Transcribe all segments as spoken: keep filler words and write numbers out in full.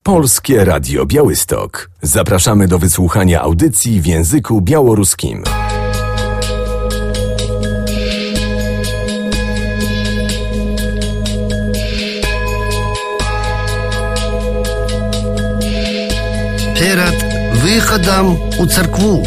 Polskie Radio Białystok. Zapraszamy do wysłuchania audycji w języku białoruskim. Перед выходом у церкву.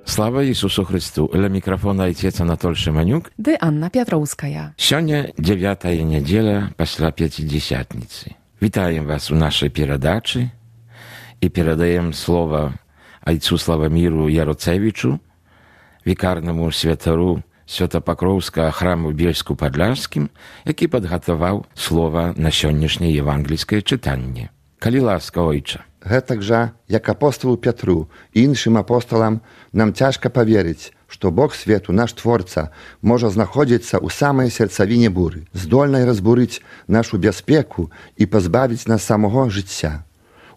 Слава Ісусу Христу! Ля мікрафона Отец Анатоль Шиманюк. Ды Анна Пятроўская. Сёння дзевятая нядзеля пасля Пяцідзесятніцы. Вітаем вас у нашай перадачы і перадаем слова айцу Славаміру Яроцевічу, вікарнаму святару Святапакроўскага храму Бельску-Падляшскім, які падгатаваў слова на сённяшняе евангельскае чытанне. Калі ласка, ойча. Гэтак жа, як апостолу Пятру і іншым апосталам, нам цяжка паверыць, што Бог свету, наш Творца, можа знаходзіцца ў самай сэрцавіне буры, здольнай разбурыць нашу бяспеку і пазбавіць нас самого жыцця.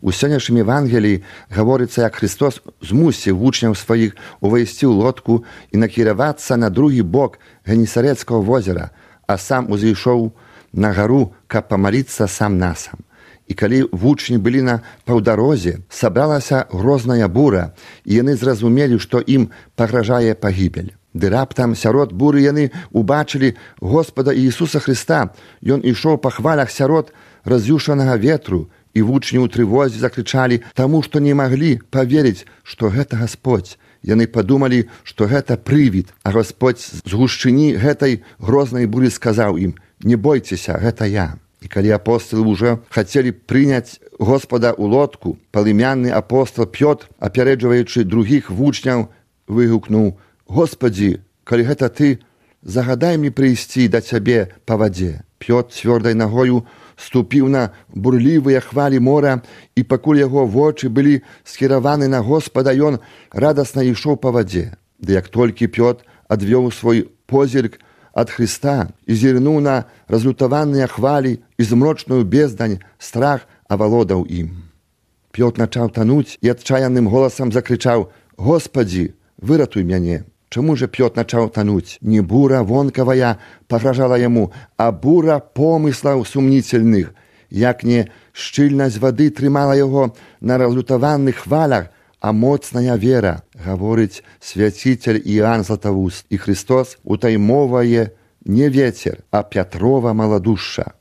У сённяшнім Евангеліі гаворыцца, як Христос змусіў вучняў сваіх увайсці ў лодку і накіравацца на другі бок Генесарэцкага возера, а сам узышоў на гару, каб памаліцца сам насам. І калі вучні былі на паўдарозе, сабралася грозная бура, і яны зразумелі, што ім пагражае пагібель. Ды раптам сярод буры яны убачылі Господа Іісуса Христа. Ён ішоў па хвалях сярод раз'юшанага ветру, і вучні ў трывозе закрычалі, таму што не маглі паверыць, што гэта Гасподзь. Яны падумалі, што гэта прывід, а Гасподзь з гушчыні гэтай грознай буры сказаў ім: «Не бойцеся, гэта я». І калі апостолы ўжо хацелі прыняць Господа ў лодку, палымянны апостол Пётр, апярэджваючы другіх вучняў, выгукнуў: «Господі, калі гэта ты, загадай мне прыйсці да цябе па вадзе». Пётр цвёрдай нагою ступіў на бурлівыя хвалі мора, і пакуль яго вочы былі скіраваны на Господа, ён радасна ішоў па вадзе. Ды як толькі Пётр адвёў свой позірк ад Христа і зірнуў на разлютаваныя хвалі і змрочную бездань, страх авалодаў ім. Пётр пачаў тануць і адчаянным голасам закрычаў: «Господі, выратуй мяне». Чаму же Пётр пачаў тануць? Не бура вонкавая пагражала яму, а бура помыслаў сумнительных. Як не шчыльнасць вады трымала яго на разлютаваных хвалях, а моцная вера, гаворыць свяцитель Іоанн Златавуст. І Христос утаймовае не ветер, а Пятрова маладушша.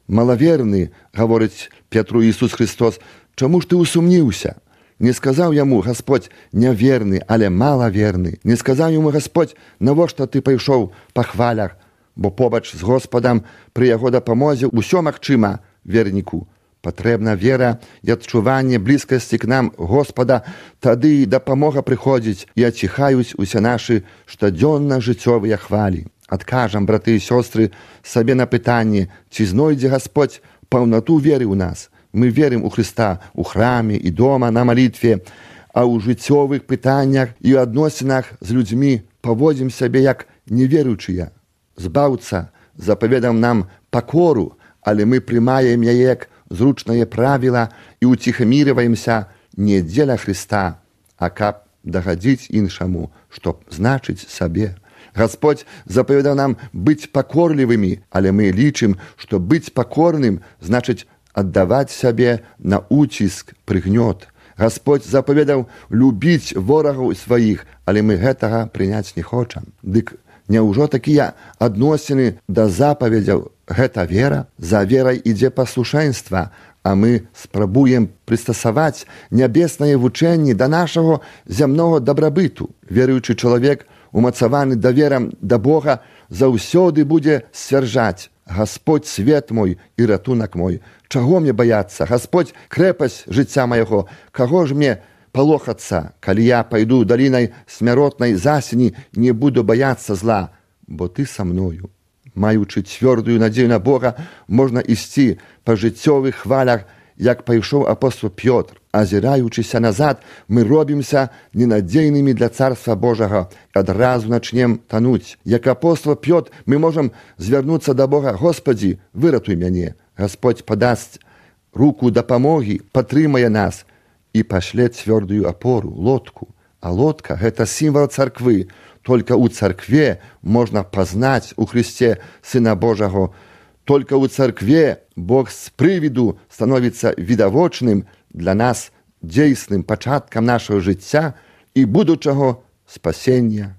«Малаверны, — гаворыць Пятру Ісус Христос, — чаму ж ты усумніўся?» Не сказаў яму Гасподь няверны, але малаверны. Не сказаў яму Гасподь, навошта ты пайшоў па хвалях, бо побач з Господам пры яго дапамозе ўсё магчыма верніку. Патрэбна вера і адчуванне блізкасці к нам Господа, тады дапамога прыходзіць і аціхаюць усе нашы штодзённа жыццёвыя хвалі. Адкажам, браты і сёстры, сабе на пытанне, ці знойдзе Гасподзь паўнату веры ў нас. Мы верым у Христа у храме і дома на малітве, а ў жыццёвых пытаннях і ў адносінах з людзьмі паводзім сябе як неверуючыя. Збаўца запаведаў нам пакору, але мы прымаем яе як зручнае правіла і уціхамірваемся не дзеля Христа, а каб дагадзіць іншаму, што значыць сабе. Гасподзь запаведаў нам быць пакорлівымі, але мы лічым, што быць пакорным значыць аддаваць сябе на уціск, прыгнёт. Гасподзь запаведаў любіць ворагаў сваіх, але мы гэтага прыняць не хочам. Дык няўжо такія адносіны да запаведзяў гэта вера? За верай ідзе паслушэнства, а мы спрабуем прыстасаваць нябеснае вучэнне да нашага зямнога дабрабыту. Веруючы чалавек, умацаваны даверам да Бога, заўсёды будзе сцвярджаць: «Гасподь свет мой і ратунак мой. Чаго мне баяцца? Гасподь крэпасць жыцця майго. Каго ж мне палохацца? Калі я пайду далінай смяротнай засені, не буду баяцца зла, бо ты са мною». Маючы цвёрдую надзею на Бога, можна ісці па жыццёвых хвалях, як пайшоў апостол Пётр. азіраючыся назад, мы робімся ненадзейнымі для Царства Божага і адразу начнем тануць. Як апостол Пётр, мы можам звярнуцца да Бога: «Господі, выратуй мяне». Господь падасць руку дапамогі, падтрымае нас і пашле цвёрдую апору, лодку. А лодка – гэта сімвал царквы. Только ў царкве можна пазнаць у Христе Сына Божаго. Только ў царкве Бог з прывіду становіцца відавочным для нас, дзейсным пачаткам нашага жыцця і будучага спасення.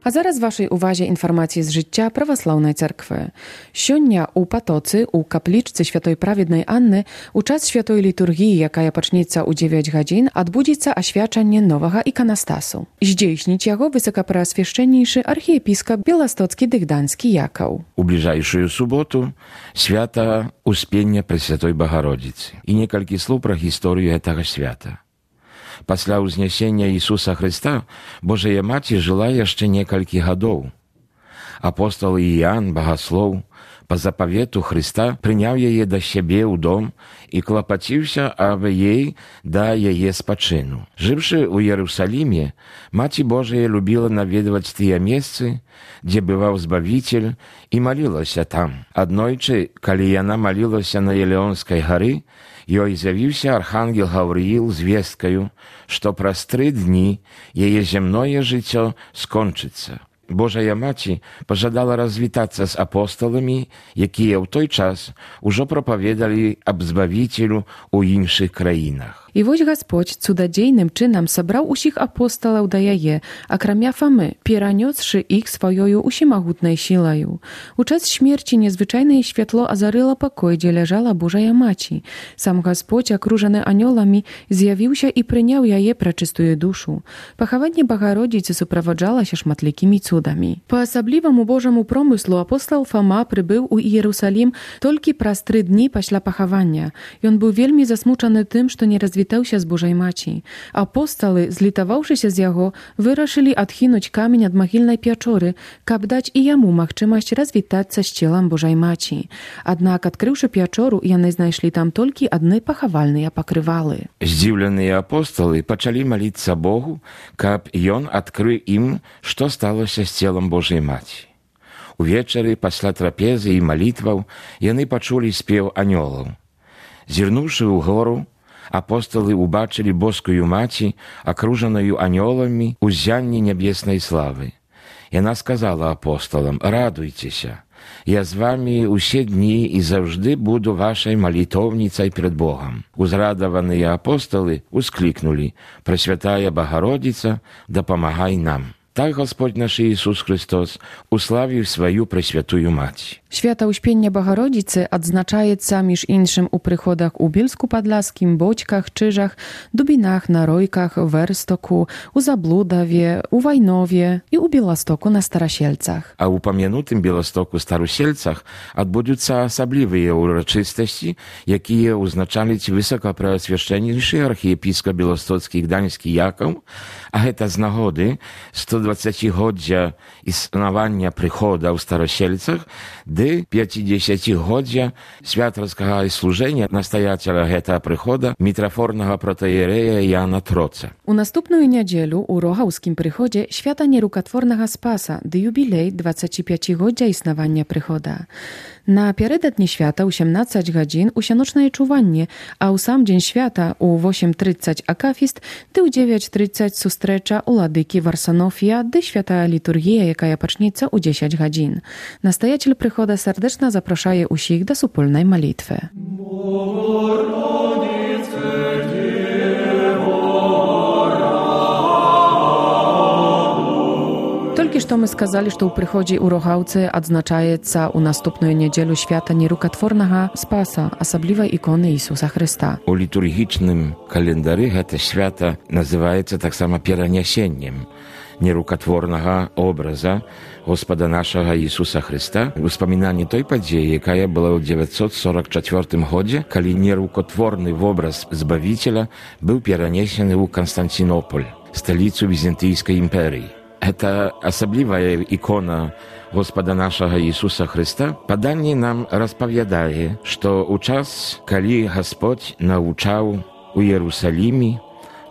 А зараз вашай увазе інфармацыі з жыцця праваслаўнай царквы. Сёння ў Патоцы, у каплічцы святой праведнай Анны, у час святой літургіі, якая пачнецца ў дзевяць гадзін, адбудзецца асвячанне новага іканастасу. Здзейсніць яго высокапраасвяшчэннейшы архіепіскап Беластоцкі Дыгданскі Якаў. У бліжэйшую суботу свята Успення Пресвятой Багародзіцы. І некалькі слоў пра гісторыю гэтага свята. Пасля ўзнясення Ісуса Хрыста Божая Маці жыла яшчэ некалькі гадоў. Апостол Іоанн, багаслоў, па запавету Хрыста прыняў яе да сябе ў дом і клапаціўся аб ей да яе спачыну. Жыўшы ў Іерусаліме, Маці Божая любіла наведваць тыя месцы, дзе бываў Збавіцель, і малілася там. Аднойчы, калі яна малілася на Елеонскай гары, ёй з'явіўся архангел Гаўрыіл з весткаю, што праз тры дні яе зямное жыццё скончыцца. Божая Маці пажадала развітацца з апосталамі, якія ў той час ужо прапаведалі аб Збавіцелю ў іншых краінах. І вось Гасподзь цудадзейным чынам сабраў усіх апосталаў да яе, акрамя Фамы, перанёсшы іх сваёю усімагутнай сілаю. У час смерці незвычайнае святло азарыла пакой, дзе ляжала Божая Маці. Сам Гасподзь, акружаны анёламі, з'явіўся і прыняў яе прачыстую душу. Пахаванне Багародзіцы суправаджалася шматлікімі цудамі. Па асабліваму Божаму промыслу апостал Фама прыбыў у Іерусалім толькі праз тры дні пасля пахавання. Ён быў вельмі засмучаны тым, што не развітаўся вітаўся з Божай Маці. Апосталы, злітаваўшыся з яго, вырашылі адхінуць камень ад магільнай пячоры, каб даць і яму магчымасць развітацца з целам Божай Маці. Аднак, адкрыўшы пячору, яны знайшлі там толькі адны пахавальныя пакрывалы. Здзіўленыя апосталы пачалі маліцца Богу, каб ён адкрыў ім, што сталася з целам Божай Маці. Увечары пасля трапезы і малітваў яны пачулі спеў анёлаў. Зірнуўшы ў гору, апосталы убачылі боскую маці, акружаную анёламі ў ззянні нябеснай славы. Яна сказала апосталам: «Радуйцеся, я з вамі ўсе дні і заўжды буду вашай малітоўніцай перад Богам». Узрадаваныя апосталы усклікнулі: «Пресвятая Богородица, дапамагай нам». Так Господь наш Иисус Христос уславіў сваю Пресвятую Мать. Święta Uśpienia Bogorodicy odznaczaється між іншим у приходах у Більську-Падляскім, Бодьках, Czyżach, Дубінах, Наройках, Верстоку, у Заблудаве, у Вайнове і у Білостоку на Старосельцах. А у пам'янутым Білостоку Старосельцах адбудуцца асаблівыя ўрачыстасці, якія ўзначаліць высокапрэасвяшчэннейшы архіепіскап Білостоцкі Гданьскі Якаў, а гэта з нагоды сто дваццацігоддзя існавання прыхода ў Старосельцах ды пяцідзесяцігоддзя святарскага служэння настаяцеля гэтага прыхода мітрафорнага протаіерэя Яна Троца. У наступную нядзелю ў Рогаўскім прыходзе свята нерукатворнага Спаса ды юбілей дваццаціпяцігоддзя існавання прыхода. Напярэдадні свята ў сямнаццаць гадзін усяночнае чуванне, а ў сам дзень свята ў восем трыццаць акафіст ды ў дзевяць трыццаць сустрэча уладыкі Варсанофія ды святая літургія, якая пачнецца ў дзесяць гадзін. Настаяцель прыхода сардэчна запрашае ўсіх да супольнай малітвы. Толькі што мы сказалі, што ў прыходзе ў Рогаўцы адзначаецца ў наступную нядзелю свята нерукатворнага Спаса, асабліва іконы Ісуса Хрыста. У літургічным календары гэта свята называецца таксама перанясеннем нерукатворнага образа Господа нашага Ісуса Хрыста, успамінанне той падзеі, якая была ў дзевяцьсот сорок чацвёртым годзе, калі нерукатворны вобраз Збавіцеля быў перанесены ў Канстантинополь, сталіцу Візантыйскай імперыі. Гэта асаблівая ікона Господа нашага Ісуса Хрыста. Паданне нам распавядае, што ў час, калі Гасподзь навучаў у Іерусаліме,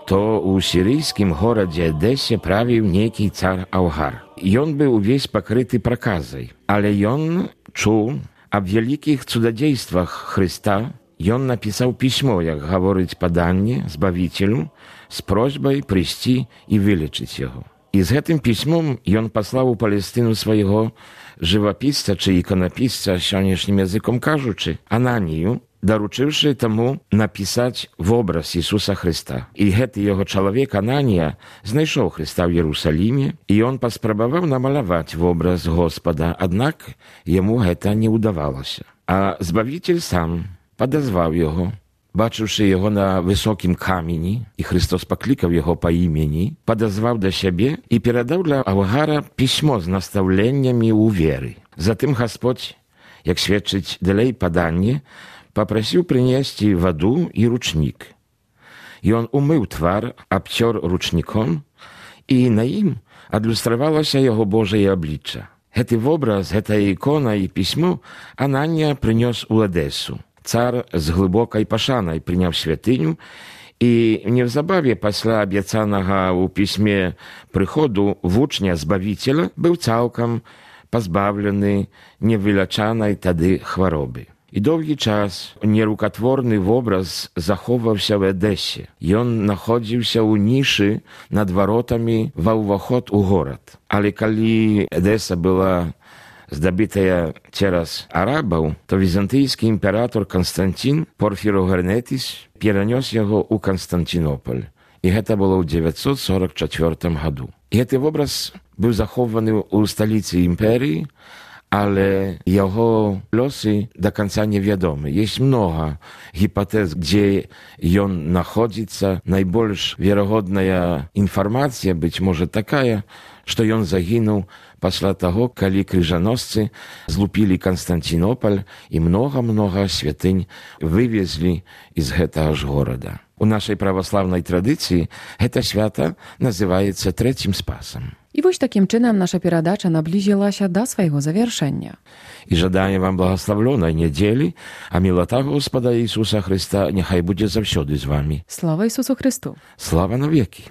то ў сірыйскім горадзе Эдэсе правіў нейкі цар Аўгар. Ён быў увесь пакрыты праказай, але ён чуў аб вялікіх цудадзействах Хрыста. Ён напісаў пісьмо, як гаворыць паданне, Збавіцелю, з просьбай прыйсці і вылечыць яго. І з гэтым пісьмом ён паслаў у Палестыну свайго жывапісца ці іканапісца, сённяшнім языком кажучы, Ананію, даручыўшы таму напісаць вобраз Ісуса Хрыста. І гэты яго чалавек Ананія знайшоў Хрыста ў Іерусаліме, і ён паспрабаваў намаляваць вобраз Господа, аднак яму гэта не ўдавалася. А Збавіцель сам падазваў яго, бачыўшы яго на высокім камені, і Христос паклікаў яго па імені, падазваў да сябе і перадаў для Аўгара пісьмо з настаўленнямі ў веры. Затым Гасподзь, як сведчыць далей паданне, папрасіў прынесці ваду і ручнік. Ён умыў твар, абцёр ручніком, і на ім адлюстравалася яго Божае аблічча. Гэты вобраз, гэтая ікона і пісьмо Ананія прынёс у Эдесу. Цар з глыбокай пашанай прыняў святыню, і неўзабаве пасля абяцанага ў пісьме прыходу вучня Збавіцеля быў цалкам пазбаўлены невылячанай тады хваробы. І доўгі час нерукатворны вобраз захоўваўся ў Эдэсе. Ён находзіўся ў нішы над варотамі ва ўваход у горад. Але калі Эдэса была здабытая цераз арабаў, то візантыйскі імператор Канстантин Порфірогенетис перанёс яго ў Канстантинополь. І гэта было ў дзевяцьсот сорок чацвёртым году. І гэты вобраз быў захоўваны ў сталіцы імперыі, але яго лёсы да канца невядомы. Ёсць многа гіпатэз, дзе ён находзіцца. Найбольш верагодная інфармацыя, быць можа такая, што ён загінуў пасля таго, калі крыжаносцы злупілі Канстантинополь і многа-многа святынь вывезлі з гэтага ж горада. У нашай праваслаўнай традыцыі гэта свята называецца Трэцім Спасам. І вось такім чынам наша перадача наблізілася да свайго завяршэння. І жадаем вам благаславлёнай нядзелі, а мілата Господа Ісуса Хрыста няхай будзе заўсёды з вамі. Слава Ісусу Христу! Слава навекі!